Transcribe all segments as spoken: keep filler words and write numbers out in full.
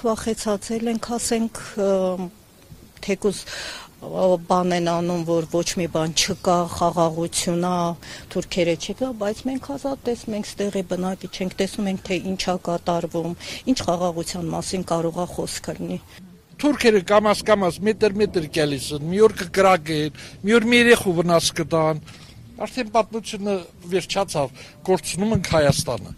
Վախեցածել ենք, ասենք, թեկուզ բան են անում, որ ոչ մի բան չկա, խաղաղություն է, թուրքերը չկա, բայց մենք ազատ ենք, ստեղի բնակիչ ենք, տեսնում ենք, թե ինչ է կատարվում, ինչ խաղաղության մասին կարող է խոսքը լինի։ Թուրքերը կամաց-կամաց մետր-մետր գալիս են, մի օր կկրակեն, մի օր մի երեխու վնաս կտան, արդեն պատմությունը վերջացավ, կորցնում ենք Հայաստանը։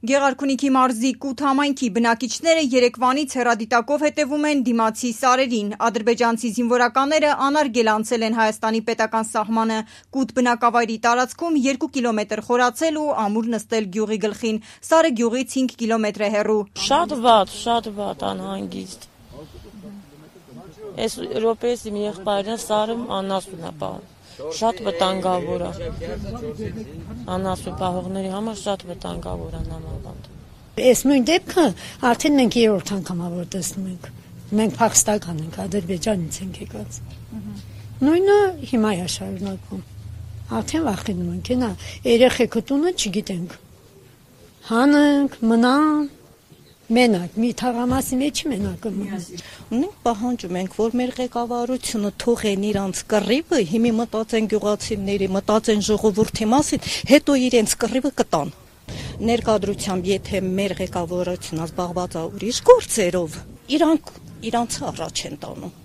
Գեղարքունիքի մարզի Կութ համայնքի բնակիչները երեկվանից հեռադիտակով հետևում են դիմացի սարերին։ Ադրբեջանցի զինվորականները անարգել անցել են Հայաստանի պետական սահմանը։ Կութ բնակավայրի տարածքում երկու կիլոմետր խորացել ու ամուր նստել գյուղի գլխին։ Սարը գյուղից հինգ կիլոմետր է հեռու։ Շատ վատ, շատ վատ, անհանգիստ։ Այս Եվրոպայից իմ եղբայրն սարում անասուն է պահում։ Շատ վտանգավոր է։ Անասուն պահողների համար շատ վտանգավոր է նամավանդ։ Այս նույն դեպքը արդեն մենք երրորդ անգամ որ տեսնում ենք։ Մենք Փախստական ենք, Ադրբեջանից ենք եկած։ Նույնը հիմա է շարունակվում։ Արդեն վախենում ենք, նա երեխեքը տունը չգիտենք։ Հանենք, մնան Մենակ, մի թաղամասի մեջ մենակ մնանք։ Ունենք պահանջում ենք, որ մեր ղեկավարությունը թողեն իրանց կռիվը, հիմի մտածեն գյուղացիների, մտածեն ժողովրդի մասին, հետո իրենց կռիվը կտան։ Ներկայությամբ, եթե մեր ղեկավարությունը զբաղված է ուրիշ գործերով, իրանք իրանց առաջ են տանում։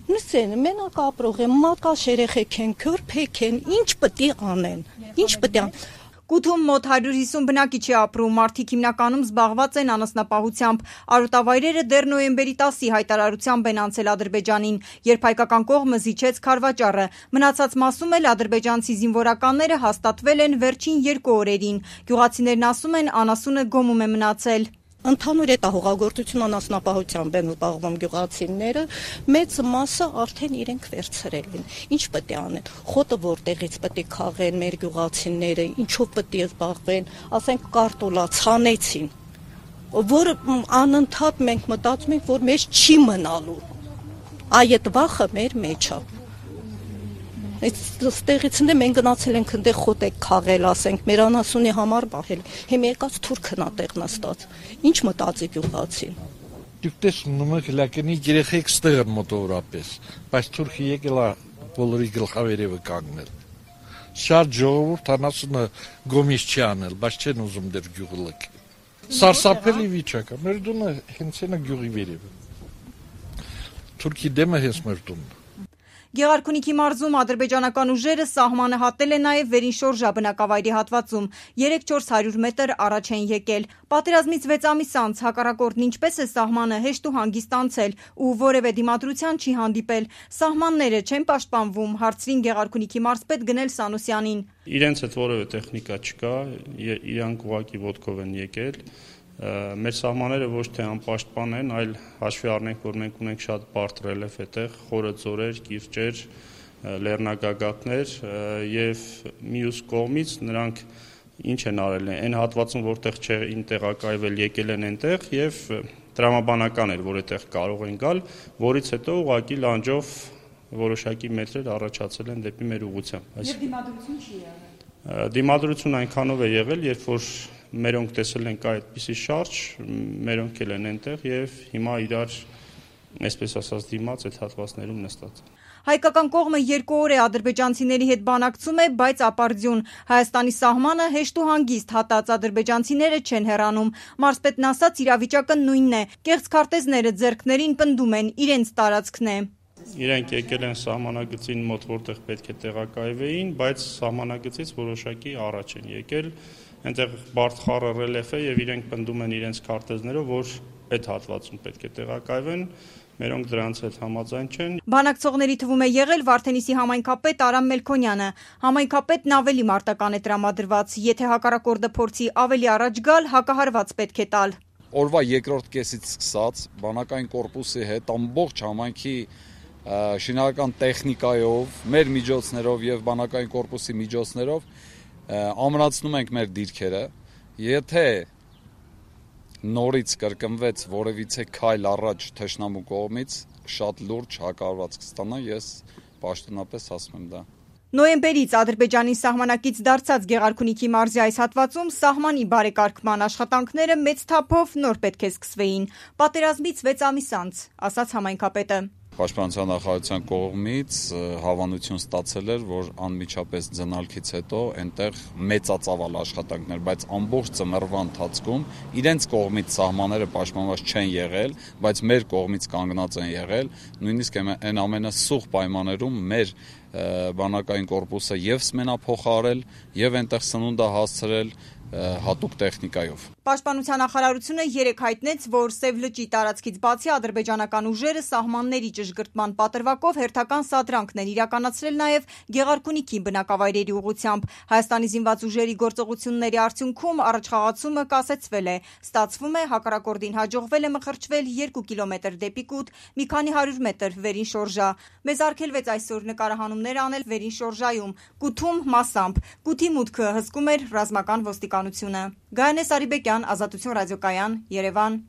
Նստեն, մենակ ապրող են, մակաշ երեխեք են, քրփեք են, ինչ պետք է անեն, ինչ պետք է անեն։ Կութում մոտ հարյուր հիսուն բնակիչ է ապրում, մարդիկ հիմնականում զբաղված են անասնապահությամբ։ Արոտավայրերը դեռ նոյեմբերի տասի հայտարարությամբ են անցել Ադրբեջանին, երբ հայկական կողմը զիջեց քարվաճառը։ Մնացած մասում էլ ադրբեջանցի զինվորականները հաստատվել են վերջին երկու օրերին։ Գյուղացիներն ասում են, անասունը գոմում է մնացել։ Ընդհանուր հետահողագործություն անասնապահությամբ են զբաղվում գյուղացիները, մեծ մասը արդեն իրենք վերցրել են։ Ինչ պետք է անեն։ Խոտը որտեղից պետք է քաղեն մեր գյուղացիները, ինչով պետք է զբաղվեն, ասենք կարտոլա ցանեցին, որ անընդհատ մենք մտածում ենք, որ մեզ չի մնալու։ Այդ վախը մեր մեջ է։ Այստեղից մենք գնացել ենք այնտեղ խոտ եք քաղել, ասենք, մեր անասունի համար բահել։ Հիմա եկած թուրքն է տեղ նստած։ Ինչ մտածի գյուղացին։ Դուք տեսնում եք լակենի երեխեք ստեղ են մոտավորապես, բայց թուրքը եկել է բոլորի գլխավերևը կանգնել։ Շատ ժողովուրդ անասունը գոմից չի անել, բայց չեն ուզում դեռ գյուղը լք։ Սարսափելի վիճակ է, մեր տունը հենց այնա գյուղի վերևը։ Թուրքի դեմը հենց մեր տունն է։ Գեղարքունիքի մարզում ադրբեջանական ուժերը սահմանը հատել են նաև Վերին-Շորժա բնակավայրի հատվածում, երեք-չորս հարյուր մետր առաջ են եկել։ Պատերազմից վեց ամիս անց հակառակորդն ինչպես է սահմանը հեշտ ու հանգիստ անցել ու որևէ դիմադրության չի հանդիպել։ Սահմանները չեն պաշտպանվում, հարցրին Գեղարքունիքի մարզպետ Գնել Սանոսյանին։ Իրենց հետ որևէ տեխնիկա չկա, իրանք ուղղակի ոտքով են եկել։ Մեր սահմանները ոչ թե անպաշտպան են, այլ հաշվի առնենք, որ մենք ունենք շատ բարդ ռելիեֆ այդտեղ, խորը ձորեր, կիրճեր, լեռնագագաթներ եւ մյուս կողմից նրանք ինչ են արել, այն հատվածում, որտեղ չէին տեղակայվել, եկել են այնտեղ եւ տրամաբանական էր, որ այդտեղ կարող են գալ, որից հետո ուղղակի լանջով որոշակի մետրեր առաջացել են դեպի մեր ուղղությամբ։ Եվ դիմադրություն չի եղել։ Դիմադրություն այնքանով է եղել, երբ որ մերոնք տեսել ենք այդպիսի շարժ, մերոնք էլ են այնտեղ եւ հիմա իրար, այսպես ասած, դիմաց այդ հատվածներում նստած։ Հայկական կողմը երկու օր է ադրբեջանցիների հետ բանակցում է, բայց ապարդյուն։ Հայաստանի սահմանը հեշտ ու հանգիստ հատած ադրբեջանցիները չեն հեռանում։ Մարզպետն ասաց, իրավիճակը նույնն է։ Կեղծ քարտեզները ձեռքներին պնդում են, իրենց տարածքն է։ Իրենք եկել են սահմանագծին մոտ, որտեղ պետք է տեղակայվեին, բայց սահմանագծից որոշակի առաջ են եկել։ Այնտեղ բարդ խառը ռելիեֆ է եւ իրենք պնդում են իրենց քարտեզներով, որ այդ հատվածում պետք է տեղակայվեն, մերոնք դրանց հետ համաձայն չեն։ Բանակցողների թվում է եղել Վարդենիսի համայնքապետ Արամ Մելքոնյանը։ Համայնքապետն ավելի մարտական է տրամադրված, եթե հակառակորդը փորձի ավելի առաջ գալ, հակահարված պետք է տալ։ Օրվա երկրորդ կեսից սկսած բանակային կորպուսի հետ ամբողջ համայնքի շինարարական տեխնիկայով, մեր միջոցներով եւ բանակային կորպուսի միջոցներով ամրացնում ենք մեր դիրքերը, եթե նորից կրկնվեց որևիցե քայլ առաջ թշնամու կողմից, շատ լուրջ հակառակված կստանա, ես պաշտոնապես ասում եմ դա։ Նոյեմբերից Ադրբեջանի սահմանակից դարձած Գեղարքունիքի մարզի այս հատվածում սահմանի բարեկարգման աշխատանքները մեծ թափով նոր պետք է սկսվեին։ Պատերազմից վեց ամիս անց, ասաց համայնքապետը։ Պաշտպանության նախարարության կողմից հավանություն ստացել էր, որ անմիջապես ձնալքից հետո այնտեղ մեծածավալ աշխատանքներ, բայց ամբողջ ծմռվա ընթացքում իրենց կողմից սահմանները պաշտպանված չեն եղել, բայց մեր կողմից կանգնած են եղել, նույնիսկ այն ամենասուղ պայմաններում մեր բանակային կորպուսը եւ սմենափոխարել եւ այնտեղ սնունդ հասցրել հատուկ տեխնիկայով։ Պաշտպանության նախարարությունը երեկ հայտնեց, որ Սև լճի տարածքից բացի ադրբեջանական ուժերը սահմանների ճշգրտման պատրվակով հերթական սադրանքներ իրականացրել նաև Գեղարքունիքի բնակավայրերի ուղղությամբ։ Հայաստանի զինված ուժերի գործողությունների արդյունքում առաջխաղացումը կասեցվել է։ Ստացվում է, հակառակորդին հաջողվել է մխրճվել երկու կիլոմետր դեպի կուտ, մի քանի հարյուր մետր վերին շորժա։ Մեզ արգելվեց այսօր նկարահանումներ անել վերին շորժայում, կութում մասամբ։ Կութի մուտքը հսկում էր ռազմական ոստիկանությունը։ Գայանե Սարիբեկյան, Ազատություն ռադիոկայան, Երևան։